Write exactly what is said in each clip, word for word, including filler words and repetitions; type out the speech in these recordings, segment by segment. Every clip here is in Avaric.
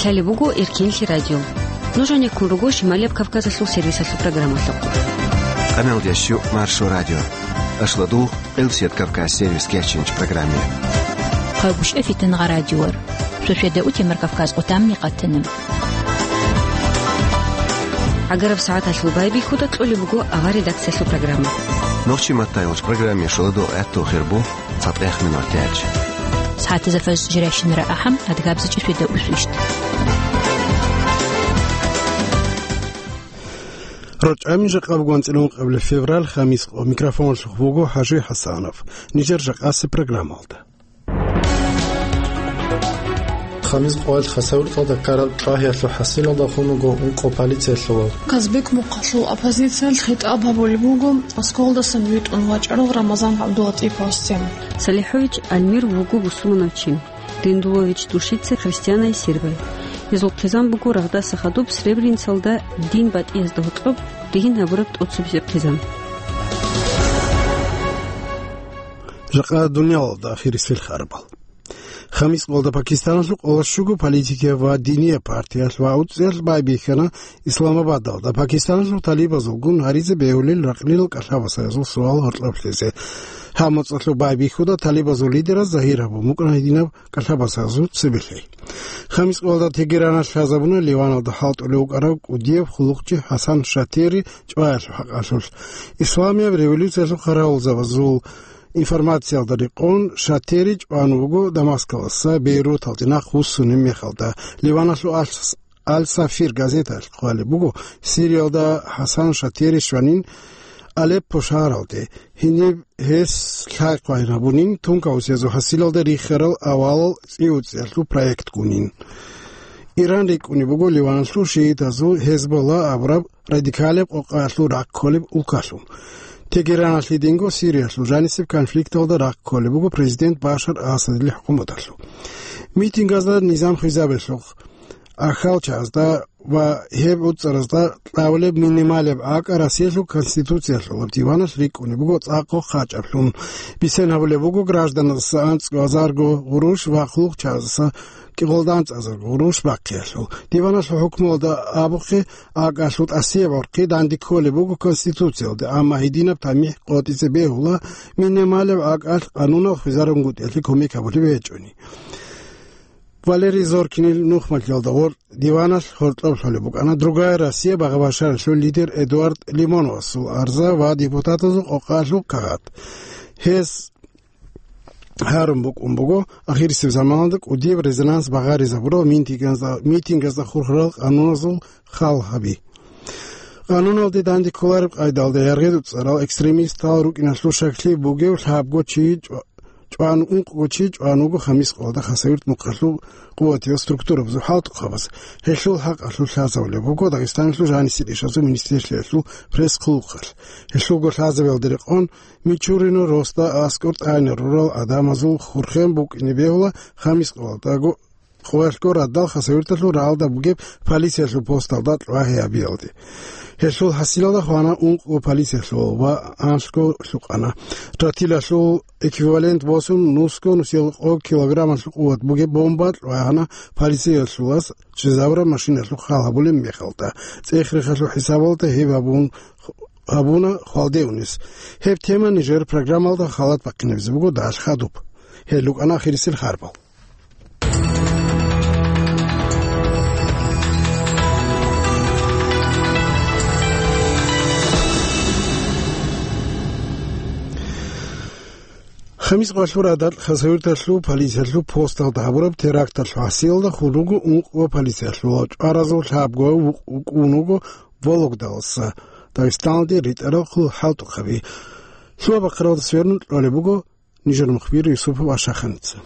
Лъалеб буго Эркинлъи радио. Нуж гьанеккун руго Шималияб Кавказалъул сервисалъул программалъухъ. Къамелдящу Маршо радио. Ашладул Къилсият Кавказ сервис кечинч программе. Хъагуш эфитан гъа радиор. Сосведа утемар Кавказ отамни къатана. ГӀагараб сагӀаталъул байбихьуда кьолеб буго авар редакциялъул программа. Нохчи маттайолч программе шуладо гӀатту хирбу. ЦатӀех минутач. СагӀатазда фаз жирайщинара ахӀам, адгабзачӀи светда усвищт. РачӀами жакъа бугон цӀилун къабли февраль, хамис къо. Микрофонлъухъ буго ХӀажи ХӀасанов. Нижер жакъаси программалда. Хамис къоялъ Хасавюрталда ккараб чӀвагьиялъул хӀасилалда хун вуго ункъо полициялъулав. Казбек мухъалъул оппозициялъ хитӀаб гьабулеб буго Москвалдасан витӀун вачӀарал Рамазан ГӀабдулатӀиповасде. Салихович Альмир вуго бусурманав чи. Риндулович Душица христианай сербай. Гьезул хъизан буго рагъдаса хадуб Сребреницалда дин батӀиязда гьоркьоб ригьин гьабураб тӀоцебесеб хъизан. Жакъа дуниялалда ахирисел харбал. Хамис къоялда Пакистаналъул къоло щуго политикияб ва динияб партиялъ ва уцӀиялъ байбихьана Исламабадалда Пакистаналъул талибазулгун гьаризе бегьулел ракълил кӀалъабасаязул суал гьоркьоблъизе. Гьаб моцӀалъуб байбихьуда талибазул лидераз загьир гьабун букӀана гьединаб кӀалъабасаязул цебелъи. Хамис къоялда Тегераналъ лъазабуна Ливаналда хӀалтӀулев вукӀарав кӀудияб хъулухъчи ХӀасан Шатери чӀваялъул хӀакъалъулъ. Исламияб революциялъул хъаравулзабазул информациялда рекъон, Шатери чӀван вуго Дамаскалдаса Бейруталде нахъ вуссунеб мехалда. Ливаналъул Аль-, Аль-Сафир газеталъ хъвалеб буго, Сириялда ХӀасан Шатери щванин Алеппо шагьаралде, гьениб гьес лъай-хъвай гьабунин, тункаусиязул хӀасилалда рихарал авалал цӀи-уцӀиялъул проектгунин. Иран рикӀкӀунеб буго Ливаналъул шиитазул Гьезболла абураб радикалияб къокъаялъул рахъ кколеб улкалъун. Тегераналъ гьединго Сириялъул жанисеб конфликталда рахъ кколеб буго президент Башар Асадил хӀукуматалъул. Митингазда низам хвезабиялъухъ, ахалчазда ва гьеб уцӀаразда кьавулеб минималеб акӀа Россиялъул Конституциялъулаб диваналъ рикӀкӀунеб буго цӀакъго хъачӀаблъун. Бицен гьабулеб буго гражданазаса анцӀго азарго гъурущ ва хъулухъчазаса кӀикъоялда анцӀазарго гъурущ бахъиялъул. Диваналъул хӀукмуялда абухъе, акӀалъул тӀасияб гӀорхъи данде кколеб буго Конституциялде, амма гьединаб тамихӀ къотӀизе бегьула минималеб акӀалъ къанунал хвезарун гутӀиялъе кумек гьабулеб гьечӀони. Валерий Зоркинил нухмалъиялда гъоркь диваналъ гьоркьоб лъолеб букӀана «Другая Россия» багъа-башаралъул лидер Эдуард Лимоновасул арза ва депутатазул къокъалъул кагъат. Гьес гьарун букӀун буго ахирисеб заманалда кӀудияб резонанс багъаризабурал митингазда, митингазда хурхарал къануназул хал гьаби. Къануналде данде кколареб къайдалда яргъи-дуцӀарал экстремистал рукӀиналъул щаклъи бугев лъабго чи чӀва-, чӀван, ункъго чи чӀван вуго Хамис къоялда Хасавюрт мухъалъул къуватиял структурабазул хӀалтӀухъабаз. Гьелъул хӀакъалъулъ лъазабулеб буго Дагъистаналъул жанисел ишазул министрлъиялъул пресс-хъулухъалъ. Гьелъулго лъазабиялда рекъон Мичурино росда аскӀор тӀагӀинал рурал гӀадамазул хурхен букӀине бегьула Хамис къоялдаго, къоялъго радал Хасавюрталъул рагӀалда бугеб полициялъул посталда кьвагьи гьабиялде. Гьелъул хӀасилалда хвана ункъго полициялъул ва анлъго лъукъана. Ратилалъул эквивалент босун нусго нусилгӀу килограммалъул къуват бугеб бомба кьвагьана полициялъулас чӀезабураб машиналъухъ хал гьабулеб мехалда. ЦӀех-рехалъул хӀисабалда гьеб гьабун, гьабуна хвалде унес. Гьеб тема нижер программалда халат бахъинабизе буго далъ хадуб. Гьел рукӀана ахирисел харбал. Хамис къоялъул радал Хасавюрталъул полициялъул посталда гьабураб теракталъул хӀасилалда хун руго ункъго полициялъул, чӀваразул лъабго вукъ-, вукӀун вуго Вологдаласа Дагъистаналде ритӀарал хъул-хӀалтӀухъаби. Лъугьа-бахъаралдаса верун кьолеб буго нижер мухбир Юсупов Ашаханица.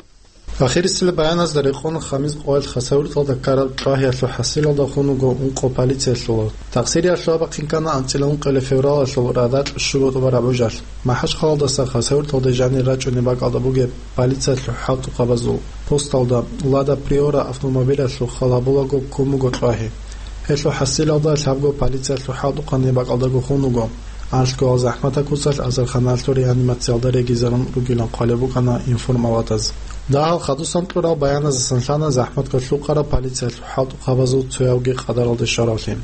Ахирисел баяназда рекъон Хамис къоялъ Хасавюрталда ккараб чӀвагьиялъул хӀасилалда хун вуго ункъо полициялъулав. Такъсирияб лъугьа-бахъин ккана анцӀила ункъоялъул февралалъул радал щуго тӀубараб гӀужалъ. МахӀачхъалалдаса Хасавюрталде жанир рачӀунеб бакӀалда бугеб полициялъул хӀалтӀухъабазул посталда Лада Приора автомобилялъул хал гьабулаго ккун буго кьвагьи. Гьелъул хӀасилалда лъабго полициялъул хӀалтӀухъаниб бакӀалдаго хун вуго. Анлъгоял захӀматаб куцалъ азарханалъул реанимациялда регизарун ругилан хъвалеб букӀана информалатаз. Дагьал хадусан кьурал баяназасан лъана захӀматго лъукъараб полициялъул хӀалтӀухъабазул цоявги къадаралде щваравлъи.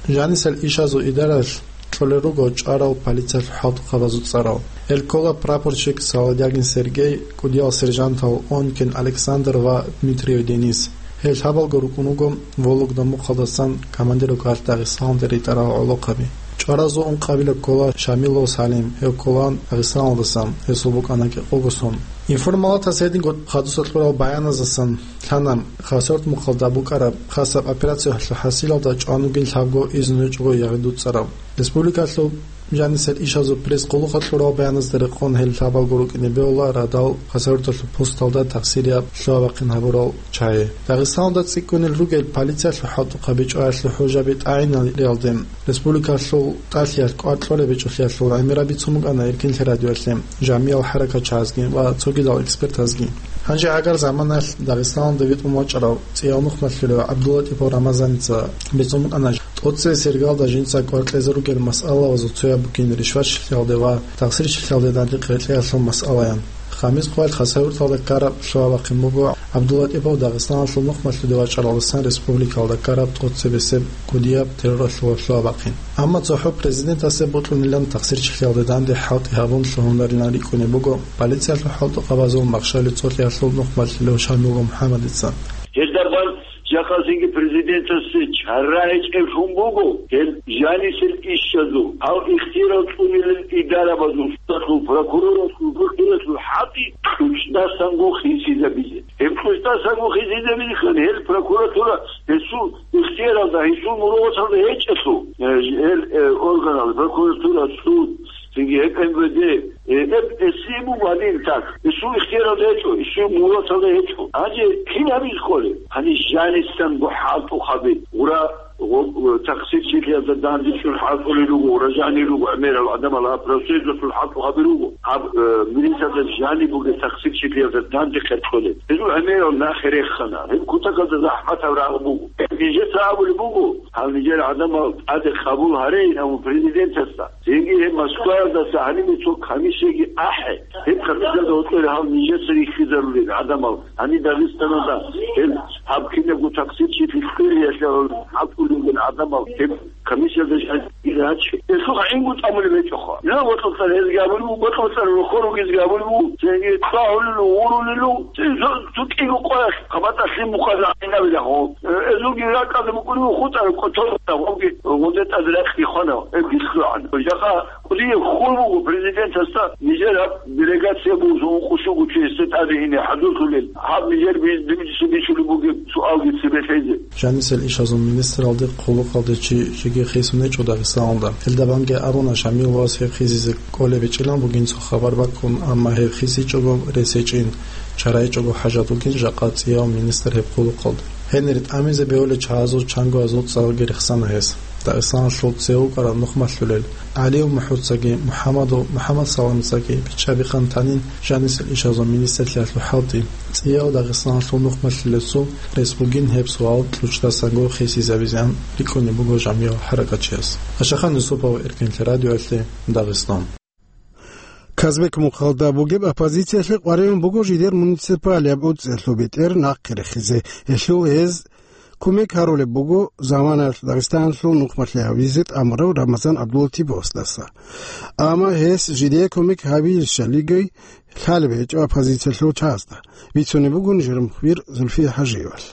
Жанисел ишазул идаралъ кьолел руго чӀварал полициялъул хӀалтӀухъабазул цӀарал. Гьел ккола прапорщик Солодягин Сергей, кӀудиял сержантал Онькин Александр ва Дмитриев Денис. Гьел лъабалго рукӀун руго Вологда мухъалдасан командиров калъ Дагъистаналде ритӀарал гӀолохъаби. ЧӀваразул ункъабилеб ккола Шамилов Салим, гьев кколаан Дагъистаналдасан, гьесул букӀана кӀикъого сон. Информалатас гьединго хадуса кьурал баяназасан лъана Хасавюрт мухъалда букӀараб хасаб операциялъул хӀасилалда чӀван вугин лъабго изну гьечӀого ягъи дуцӀараб. Республикалъул жанисел ишазул пресс-къуллукъалъ кьурал баяназда рекъон гьел лъабалго рукӀине бегьула радал Хасавюрталъул пусталда тахсирияб лъугьа-бахъин гьабурал чагӀи. Дагъистаналда цӀикӀкӀунел ругел полициялъул хӀалтӀухъаби чӀваялъул хӀужаби тӀагӀинариялде республикалъул тӀалъиялъ кӀвар кьолеб гьечӀолъиялъул гӀемераб бицун букӀана Эркинлъи радиоялъе, жамиял хӀаракатчагӀазги ва цогидал экспертазги. Гьанже гӀагар заманаялъ Дагъистаналда витӀун вачӀарав цӀияв нухмалъулев ГӀабдуллатӀипов Рамазаница бицун букӀана, тӀоцебесеб иргалда жинца кӀвар кьезе ругел масъалабазул цояб бугин ришватчилъиялде ва тахсирчилъиялде данде кьеклъиялъул масъалаян. Хамис хъвалъ Хасавюрталда ккараб лъугьа-бахъин буго ГӀабдуллатӀипов Дагъистаналъул нухмалъуде вачӀаралдасан республикалда ккараб тӀоцебесеб кӀудияб терроралъул лъугьа-бахъин. Амма цохӀо президентасе бокьунилан тахсирчилъиялде данде хӀалтӀи гьабун лъугьунарилан рикӀкӀунеб буго полициялъул хӀалтӀухъабазул махщали цолъиялъул нухмалъулев Шамилов МухӀаммадица. Гьелдабан жакъасинги президентасде чара гьечӀеблъун буго, гьел жанисел ишазул, гьав ихтияр цӀунилел идарабазул, судалъул, прокуроралъул, вукилалъул хӀалтӀи кьучӀдасанго хисизабизе. Гьеб кьучӀдасанго хисизабизехъан гьел прокуратура гьесул ихтияралда, гьесул мургьалда гьечӀелъул, э, гьел, э, органал, прокуратура, суд, цинги гьеб М В Д, э, гьеб гьесие буго гьадин так. Гьесул ихтияралда гьечӀо, гьесул мургьалда гьечӀо. Гьанже кин гьабизе кколеб? Гьаниб жанисанго хӀалтӀухъаби, гъура, гъо-, тахсирчилъиялда данде чӀун хӀалтӀулел руго, гъура жанир руго гӀемерал гӀадамал, гьаб профсоюзалъул хӀалтӀухъаби руго. Гьаб, э, милицаялда жаниб бугеб тахсирчилъиялда данде кьеркьолеб. Гьезул гӀемерал нахъе рехана. Гьеб кутакалда захӀматаб рагъ буго. Нижеца абулеб буго, гьал нижер гӀадамал тӀаде къабул гьарейин абун президентасда. Цинги гьеб Москваялдаса гьанибе цо комиссияги ахӀе. Гьеб комиссиялда гьоркьоре гьал нижеца рихьизарулел гӀадамал, гьаниб Дагъистаналда гьел гьаб кинабго тахсирчилъи кьириялъе гьал хӀалтӀулел гӀадамал гьеб комиссиялда жанир гьечӀо. Гьелъул гӀинго тӀамулеб гьечӀоха. Ила бокьулъан гьезги абулеб буго, бокьулъан рохор ругезги абулеб буго, цинги кьвагьулел, гъурулел, цин цо, цо кӀиго къоялъ хъабатӀалъин бухъазул гӀинабилахъо. Э, гьезулги ракӀалде букӀунев хутӀараб кӀочон гъовги гъоде тӀад ракьги хвана, гьеб гилълъугӀан. Жакъа кӀудияб хьул буго президентасда нижер гьаб делегация бугоса ункъо щуго чи гьесда тӀаде ине хӀадурлъулел, гьаб нижер би-, дибициса бичулеб бугеб суалги цебе лъезе. Жанисел ишазул министралде хъулухъалде чи жеги хисун гьечӀо Дагъистаналда. Гьелдабанги абуна, Шамиловас гьеб хисизе кӀолеб гьечӀилан бугин цо хабар баккун, амма гьеб хисичӀого рес гьечӀин, чара гьечӀого хӀажат бугин жакъа цӀияв министр гьеб хъулухъалде. Гьенир тӀамизе бегьулел чагӀазул чангоязул цӀарги рехсана гьес. Дагъистаналъул цевукӀарал нухмалъулел ГӀалиев МухӀуцаги, МухӀамадов МухӀамадсаламцаги бичӀчӀабихъан танин жанисел ишазул министрлъиялъул хӀалтӀи. ЦӀияв Дагъистаналъул нухмалъулесул рес бугин гьеб суал кьучӀдасанго хисизабизеян рикӀкӀунеб буго жамиял хӀаракатчияс. Ашахан Юсупов, Эркинлъи радиоялъе, Дагъистан. Казбек мухъалда бугеб оппозициялъе къваригӀун буго жидер муниципалияб гӀуцӀиялъул бетӀер нахъе рехизе. Гьелъул гьез кумек гьарулеб буго заманаялъ Дагъистаналъул нухмалъи гьавизе тӀамурав Рамазан ГӀабдулатиповасдаса. Амма гьес жидее кумек гьабизе щалиги лъалеб гьечӀо оппозициялъул чагӀазда, бицунеб буго нижер мухбир Зульфия ХӀажиевалъ.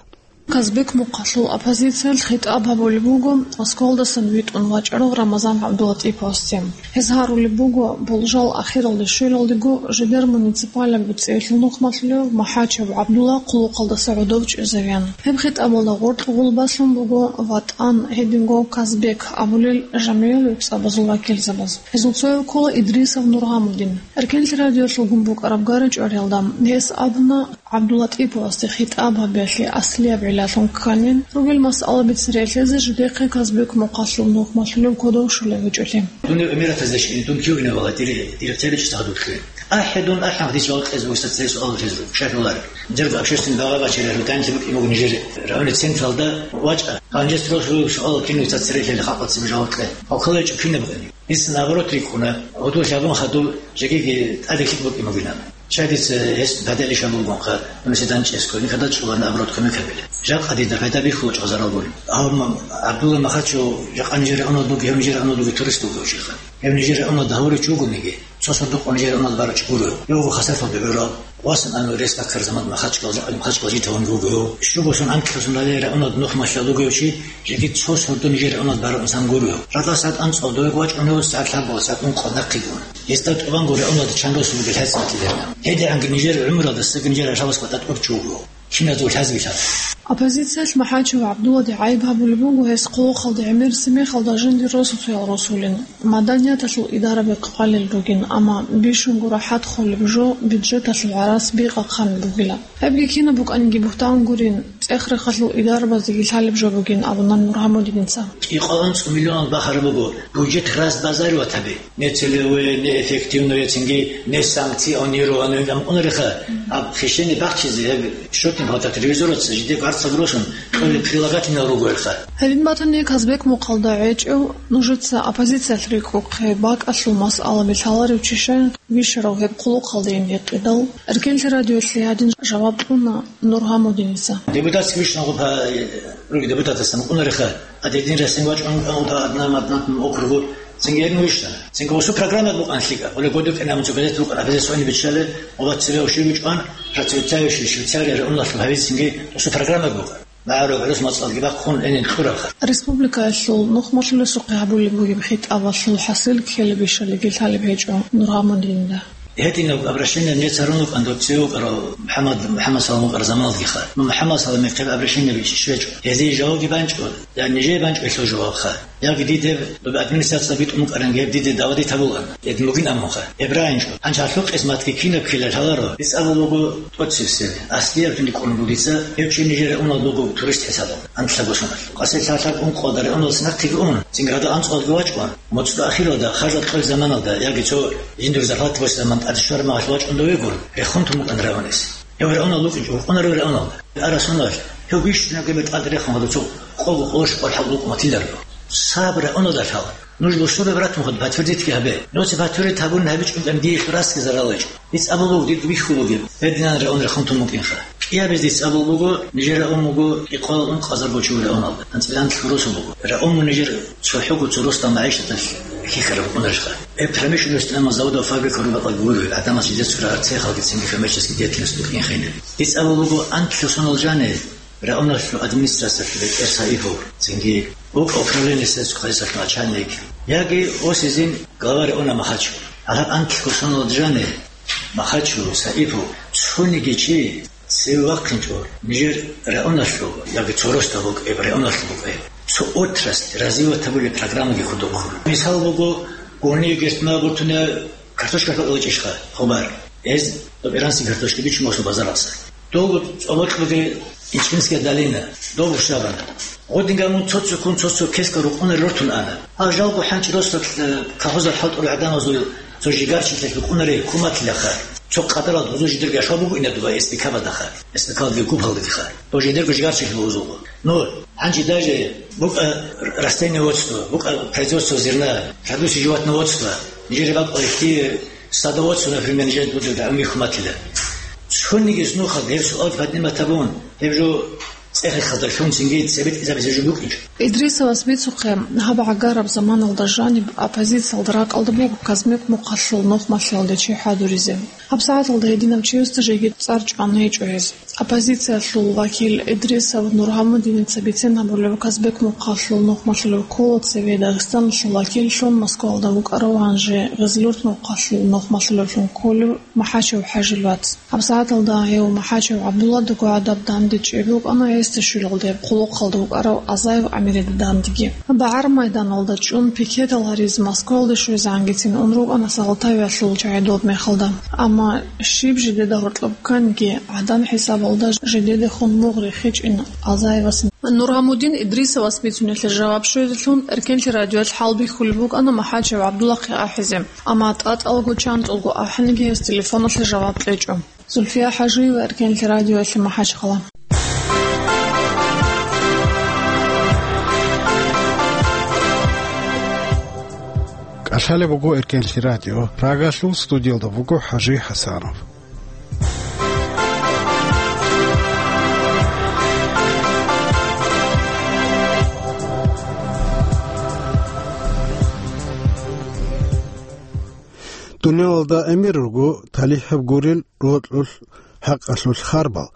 Казбек мухъалъул оппозициялъ хитӀаб гьабулеб буго Москвалдасан витӀун вачӀарав Рамазан ГӀабдулатиповасде. Гьез гьарулеб буго, болжал ахиралде щвелалдего жидер муниципалияб гӀуцӀиялъул нухмалъулев МахӀачев ГӀабдулла хъулухъалдаса гӀодов чӀезавеян. Гьеб хитӀабалда гъоркье гъулбалъун буго ВатӀан, гьединго Казбек абулел жамгӀиял вебцӀабазул вакилзабаз. Гьезул цояв ккола Идрисов Нургъамудин. Эркенлъи радиоялъулгун букӀараб гара-чӀвариялда гьес абуна, ГӀабдулатиповасде хитӀаб гьабиялъе аслияб гӀиллалъун кканин, ругел масъалаби цере лъезе жидехъе Казбек мухъалъул нухмалъулев кодов щолеб гьечӀолъи. Дун гӀемерал защитник, дун кивина вала, дире, дире цере чӀезабухъе. АхӀи дун, ахӀи гьадис жаваб кьезе бугеса цере суал лъезе, шайхуллар. Жер общественный глава бачира, рутанти букӀи буго нижер районный централда вачӀа. Гьанже строго суал кинуца цере лъел халкъалъ цебе жаваб кье. Халкъалъ чӀухъинаб гъени. Гьес наоборот рикӀкӀуна, гьудул лъабун хадуб жегиги тӀаде лъикӀ букӀин бугилан. Чагица гьес бадалищ абулгунха, университет чӀесго, никада чӀулана аброт кумек гьабила. Жакъа дида пайда бихьулачӀо зарал гури. Амма ГӀабдулла Махачев жакъа нижер регӀунал буги, гьев нижер регӀунал буги турист вугев чиха. Гьев нижер регӀунал дагьурев чи вугониги, цо сордо къо нижер регӀунал барав чи гурев. Гьев вуго Хасафалде гӀурав, васун ан рес баккар заман Махачкалда, Махачкалда житавун вуго гьев. Щуго сон анкьлъун дале регӀунал нухмалъа вугев чи, жеги цо сордо нижер регӀунал барав инсан гурев. Радал сагӀат анцӀал дове вачӀун гьев, сагӀат лъабго сагӀат ункъо нахъе гун. Гьесда тӀубанго регӀуналда чанго сулги лъацӀцӀалъиларна. ГьедигӀанги нижер гӀумралдасаги нижер рашалас батӀа тӀур чуго. Киназул хӀазбилъа. Оппозициялъ МахӀачев ГӀабдуллади гӀайиб гьабулеб буго, гьес хъулухъалда гӀемерси мехалда жиндир росуцоял росулин, маданияталъул идарабихъ хъвалел ругин, амма бищунго рахӀат холеб жо бюджеталъул гӀарац бикъа хъанаб бугила. Гьебги кинаб букӀаниги бугьтан гурин, цӀех-рехалъул идарабазеги лъалеб жо бугин абуна Нургьамудиница. Кьикъоялда анцӀ миллионал бахараб буго бюджет разбазаривать гьаби. Не целевое, не эффективное, цинги не санкционированное, гьаб кьунариха, гьаб хищение бахчизе, гьеб счётный палата ревизораца жиде варцаб росун, кьолеб прилагательное ругоялха. Гьедин батани, Казбек мухъалда гӀечӀев, нужеца оппозициялъ рикӀкӀухъе бакӀалъул масъала билъаларев чи щайин вищарав гьеб хъулухъалдейин гьекъидал, Эркенлъи радиолъе гьадин жаваб кьуна Нургьамудиница. Депутатский вишна гъуб гьа, руги депутатасан кьунариха, а дедин ресен вачӀун гьавда адна маднатун округу. Цинги гьеб вишна. Цинги осу программа букӀан лъикӀа. Оле годукӀина муцу газет букӀан, а газет сони биччале, оба цеве оши бичӀван, процветающий Швейцария регӀуналъул гьавизе цинги осу программа букӀан. БагӀару гӀурус мацӀалги бахъун гӀенин кьурабха. Республикаялъул нухмалъулесухъе гьабулеб бугеб хитӀабалъул хӀасил ккелеб ишалиги лъалеб гьечӀо Нургьамудинда. Гьединаб обращение нецарун вукӀан доб цеве вукӀарав МухӀаммад, МухӀаммад Салам вукӀар заманалдгиха. Ну, МухӀаммад Саламихъе обращение бичӀчӀичӀо. Гьезие жавабги банчӀо, я нижее банчӀо гьелъул жавабха. Яги диде доб администрация битӀун букӀаранги гьеб диде давадит гьабулаан. Гьедин бугин абунха. Гьеб рагӀинчӀо. Гьанже гьалъул къисматги кинаб ккелал гьаларо. Дица абул буго тӀоцевсел. Аслияб жинди кӀун бугица, гьев чи нижер регӀунал буго турист хӀисабалда. Анлъабго соналъ. Къасе лъалъаб ункъоялда регӀуналас нахъеги ун, цинги радал анцӀоялдги вачӀун, моцӀго ахиралда, харжал кьолеб заманалда, яги цо жиндир зарплата босеб заман тӀаде щвараб махалъ вачӀун довегун, рехун тун букӀан регӀунес. Гьев регӀунал вукӀинчӀо, вукӀунаро регӀуналда. Ара соналъ, гьев вищунаб гьеб тӀад рехун гьадав цо къого къоло щокъол хӀал букӀун батиларо. Саб регӀуналда лъала. Нуж бусурбаб ратун хъуд подтвердитги гьабе. Нуца подтвердит гьабун гьабичӀун тӀам диялъул расги зарал гьечӀо. Дица абулеб буго, дир бихьулеб бугеб, гьединан регӀун рехун тун букӀинха. КӀиабизе дица абулеб буго, нижер регӀун буго, кӀикъоялда ункъазарго чи регӀуналда. АнцӀила анлъго росу буго. РегӀун нижер цохӀого цо росдал магӀишаталъ хьихьараб букӀунарищха? Гьеб промышленность, амма заводал, фабрикал рубатӀалги гуро, гӀадамаз жидецаго рагӀарцехалги цинги коммерческий деятельность букӀинхъин. Дица абулеб буго, анлъго сонал жани регӀуналъул администрациялъул бетӀер Саипов, цинги укӀа управление сельского хозяйствоялъул начальник, яги осизин глава регӀуна Махачев. Гьалаб анлъго соналда жани Махачев, Саипов, цониги чи цеве вахъинчӀо, нижер регӀуналъул яги цо росдал букӀеб, регӀуналъул букӀеб, цо отрасль развивать гьабулеб программаги худухъун. Мисал буго, гуни гертма гуртуна картошка хӀукъуличӀищха хабар. Гьез доб иранский картошка бичун босун базаралъа. Долго цӀолокьуги Ичкинская долина, доб ушабана. Гъодинга мун цо-цоккун цо-цо кескал рукъунар рортун ана. Гьал жалго хӀанчӀ росдал, э, колхозал хӀалтӀул гӀадамазул цо жигарчилъи букӀунаре хьукуматилаха. Цо къадарал гъузу жидерго яшав буго ина дуба эс пи кабадаха, эс пи калги губалдиха. Дов жидерго жигарчилъи бугузулго. Ну, гьанже даже букӀа растениеводство, букӀа производство зерна, продукция животноводства, нижер бакӀалъе садоводство, например, нижер буду дагьмихъ матила. Цониги нухал гьеб суал поднимать гьабун, гьеб жо цӀехихъалда лъун цинги цебетӀизабизе жо букӀинчӀо. Идрисовас бицухъе, гьаб гӀагараб заманалда жаниб оппозициялда ракӀалда буго Казбек мухъалъул нухмалъиялде чи хӀадуризе. ГьабсагӀаталда гьединав чиясда жеги цӀар чӀван гьечӀо гьез. Оппозициялъул вакил Идрисов Нургьамудиница бицен гьабулеб, Казбек мухъалъул нухмалъулев ккола цеве Дагъистаналъул вакиллъун Москвалда вукӀарав, гьанже Гъезлурт мухъалъул нухмалъулевлъун кколев МахӀачев ХӀажил вац. ГьабсагӀаталда гьев МахӀачев ГӀабдулладаго гӀадаб дандечӀеб букӀана, гьесда щвелалде хъулухъалда вукӀарав Азаев ГӀамирида дандеги. БагӀар майданалда чӀун пикетал гьаризе Москвалде щвезегӀангицин ун рукӀана Салтавиялъул чагӀи долеб мехалда. Амма щиб жидеда гьоркьоб кканиги, гӀадан хӀисабалда жидедехун мугъ рихичӀин Азаевас. Нургьамудин Идрисовас бицунелъе жаваб щвезелъун Эркенлъи радиоялъ хӀалбихьулеб букӀана МахӀачев ГӀабдулахъе ахӀизе, амма тӀатӀалго чантӀулго ахӀенлъиги гьес телефоналъе жаваб кьечӀо. Зульфия ХӀажиева, Эркенлъи радиоялъе, МахӀачхъала. КӀалъалеб буго Эркенлъи радио, Прагалъул студиялда буго ХӀажи ХӀасанов. Дуниялалда гӀемер руго талихӀаб гурел рокьулъ хӀакъалъулъ харбал,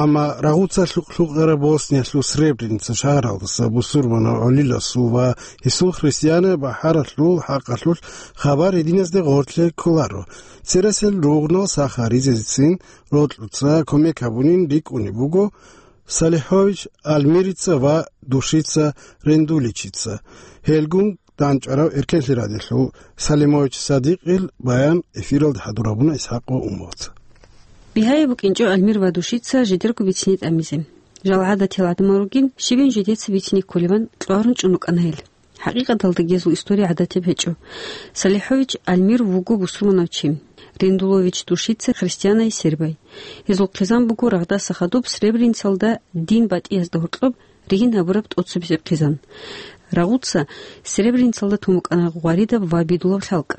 амма рагъуца лъукъ-лъукъараб Босниялъул Сребреница шагьаралдаса бусурманав гӀолиласул ва гьесул христианай бахӀаралъул хӀакъалъулъ хабар гьединазде гъорлъе кколаро. Цересел ругънал сахаризецин рокьуца кумек гьабунин рикӀкӀунеб буго Салихович Альмирица ва Душица Рендуличица. Гьелгун дандчӀварав эркенлъи радиолъул Салимович Садикъил баян эфиралда хӀадур гьабуна ИсхӀакъ ва Умовца. Бигьаяб букӀинчӀо Альмир ва Душица жидерго бицине тӀамизе. Жал гӀадатиял гӀадамал ругин, щибин жидеца бицине кколебан кьварун чӀун рукӀана гьел. ХӀакъикъаталда гьезул история гӀадатияб гьечӀо. Салихович Альмир вуго бусурманав чи. Рендулович Душица христианай сербай. Гьезул хъизан буго рагъдаса хадуб Сребреницалда дин батӀиязда гьоркьоб ригьин гьабураб тӀоцебесеб хъизан. Рагъуца Сребреницалда тун букӀана гъваридаб ва бидулаб лъалкӀ.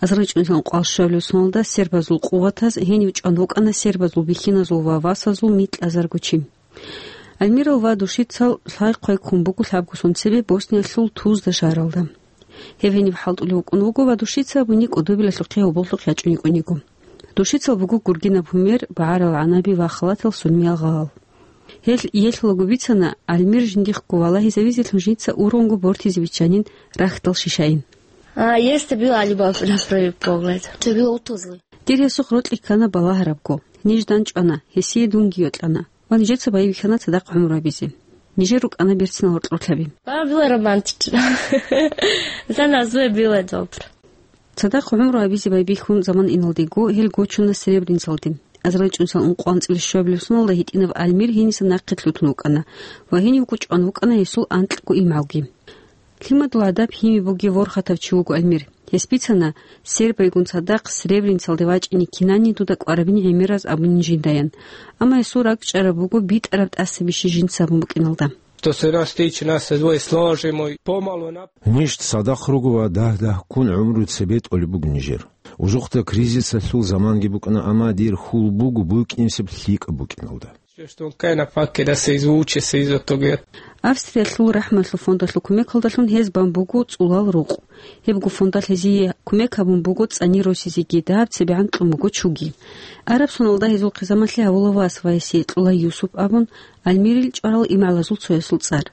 АзарилчӀунилан кӀвал щуабилеб соналда сербазул къуватаз гьенив чӀван вукӀана сербазул бихьиназул ва васазул микьазарго чи. Альмирал ва Душицал лъай-хъвай ккун буго лъабго сон цебе Босниялъул Тузда шагьаралда. Гьеб гьениб хӀалтӀулев вукӀун вуго ва Душица абуни кӀудобилалъухъе гьоболлъухъ ячӀун йикӀун йиго. Душицал буго гургинаб гьумер, багӀарал гӀанаби ва халатал сунмиял гъалал. Гьел иелъулаго бицана, Альмир жиндихъго валагьизавизелъун жинца ургъунго бортизе биччанин рахьдал шишайин. А, есть была любовь на первый погляд. Ты был утозлый. Дир гьесухъ рокьи ккана балагьарабго. Ниж дандчӀвана, гьесие дунги йокьана. Ва нижеца байбихьана цадахъ гӀумру гьабизе. Нижер рукӀана берцинал гьоркьорлъаби. Мама была романтична. За нас двое было добро. Цадахъ гӀумру гьабизе байбихьун заман иналдего гьел гочуна Сребреницалде. АзарилчӀунилан ункъоанцӀила щуабилеб соналда гьитӀинаб Альмир гьениса нахъе лъутун вукӀана ва гьенивго чӀван вукӀана гьесул анкьго имгӀалги. Лъимадул гӀадаб гьими бугев ворхатав чи вуго Альмир. Гьес бицана, сербайгун цадахъ Сребреницалде вачӀине кинани дуда кӀварабин гӀемераз абунин жиндаян. Амма гьесул ракӀчӀараб буго битӀараб тӀаса бищи жинца абун букӀиналда. То се нас тичи, нас се двоє сложимо и помало нап- Ниж цадахъ руго ва дагь-дагьккун гӀумру цебе тӀолеб буго нижер. Ужухъда кризисалъул заманги букӀана, амма дир хьул буго букӀинсеб лъикӀаб букӀиналда. Что он кайна пакке да се извуче, се изотоге. Австриялъул рахӀмалъул фондалъул кумекалдалъун гьез бан буго цӀулал рукъ. Гьебго фондалъ гьезие кумек гьабун буго цӀани росизеги, дагьаб цебегӀан кьун буго чуги. Араб соналда гьезул хъизамалъе гьавула вас ва гьесие кьула Юсуп абун, Альмирил чӀварал имгӀалазул цоясул цӀар.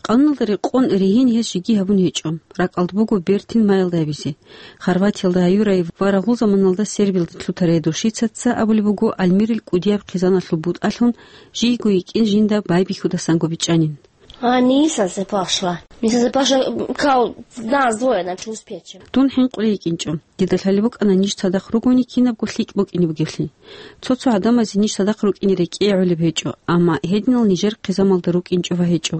Къануналда рекъон ригьин гьез жеги гьабун гьечӀо, ракӀалда буго бертин майялда гьабизе. Хорватиялда гьаюрай ва рагъул заманалда Сербиялда лъутарай Душицаца абулеб буго Альмирил кӀудияб хъизаналъул бутӀалъун жийго йикӀин жинда байбихьудасанго бичӀчӀанин. А, Ниса се пошла. Ниса се пошла, кал, нас двое, значит, успеть. Дун хӀинкъулей йикӀинчӀо. Дида лъалеб букӀана ниж цадахъ ругони кинабго лъикӀ букӀине бугеблъи. Цо-цо гӀадамазе ниж цадахъ рукӀине рекӀее гӀолеб гьечӀо, амма гьединал нижер хъизамалда рукӀинчӀо ва гьечӀо.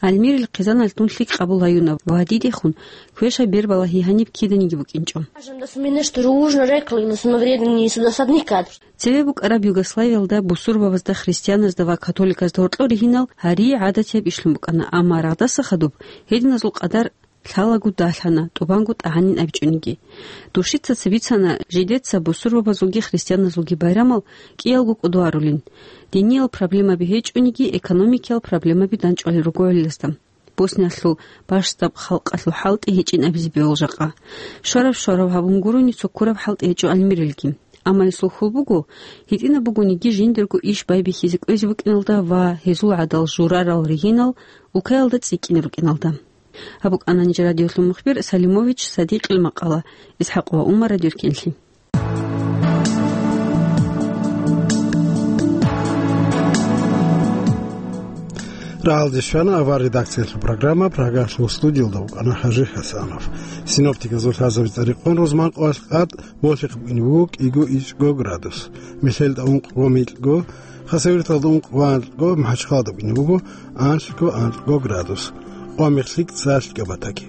Альмирил хъизаналъ дун лъикӀ къабул гьаюна ва дидехун квешаб бербалагьи гьаниб киданиги букӀинчӀо. Скажем, да суминеш дружно рекли, но сумавредни сюда садник кадр. Цеве букӀараб Югославиялда бусурбабазда, христианазда ва католиказда гьоркьор ригьинал гьарие гӀадатияб ишлъун букӀана, амма рагъдаса хадуб гьединазул къадар лъалаго далъана, тӀубанго тӀагӀанин абичӀониги. Душицаца бицана, жидеца бусурбабазулги христианазулги байрамал кӀиялго кӀодо арулин. Диниял проблемаби гьечӀониги, экономикиял проблемаби данчӀвалел руго гӀолиласда. Босниялъул бащдаб халкъалъул хӀалтӀи гьечӀин абизе бегьул жакъа. Щвараб-щвараб гьабун гурони цо ккураб хӀалтӀи гьечӀо Альмирилги. Амма гьесул хьул буго, гьитӀинаб бугониги жиндирго иш байбихьизе кӀвезе букӀиналда ва гьезул гӀадал журарал ригьинал улкаялда цӀикӀкӀине рукӀиналда. Гьаб букӀана нижер радиолъул мухбир Салимович Садикъил макъала, ИсхӀакъ ва Умар радиоркенлъи. Рагьалде щвана авар редакциялъул программа, Прагалъул студиялда вукӀана ХӀажи ХӀасанов. Синоптиказул лъазабица рекъон рузман къоялъ къад болъихъ букӀине буго кӀиго ичӀго градус, мехьелда ункъго микьго, Хасавюрталда ункъго анкьго, МахӀачхъалада букӀине буго анлъго анкьго градус. Къвамехлъи цалъго батаги.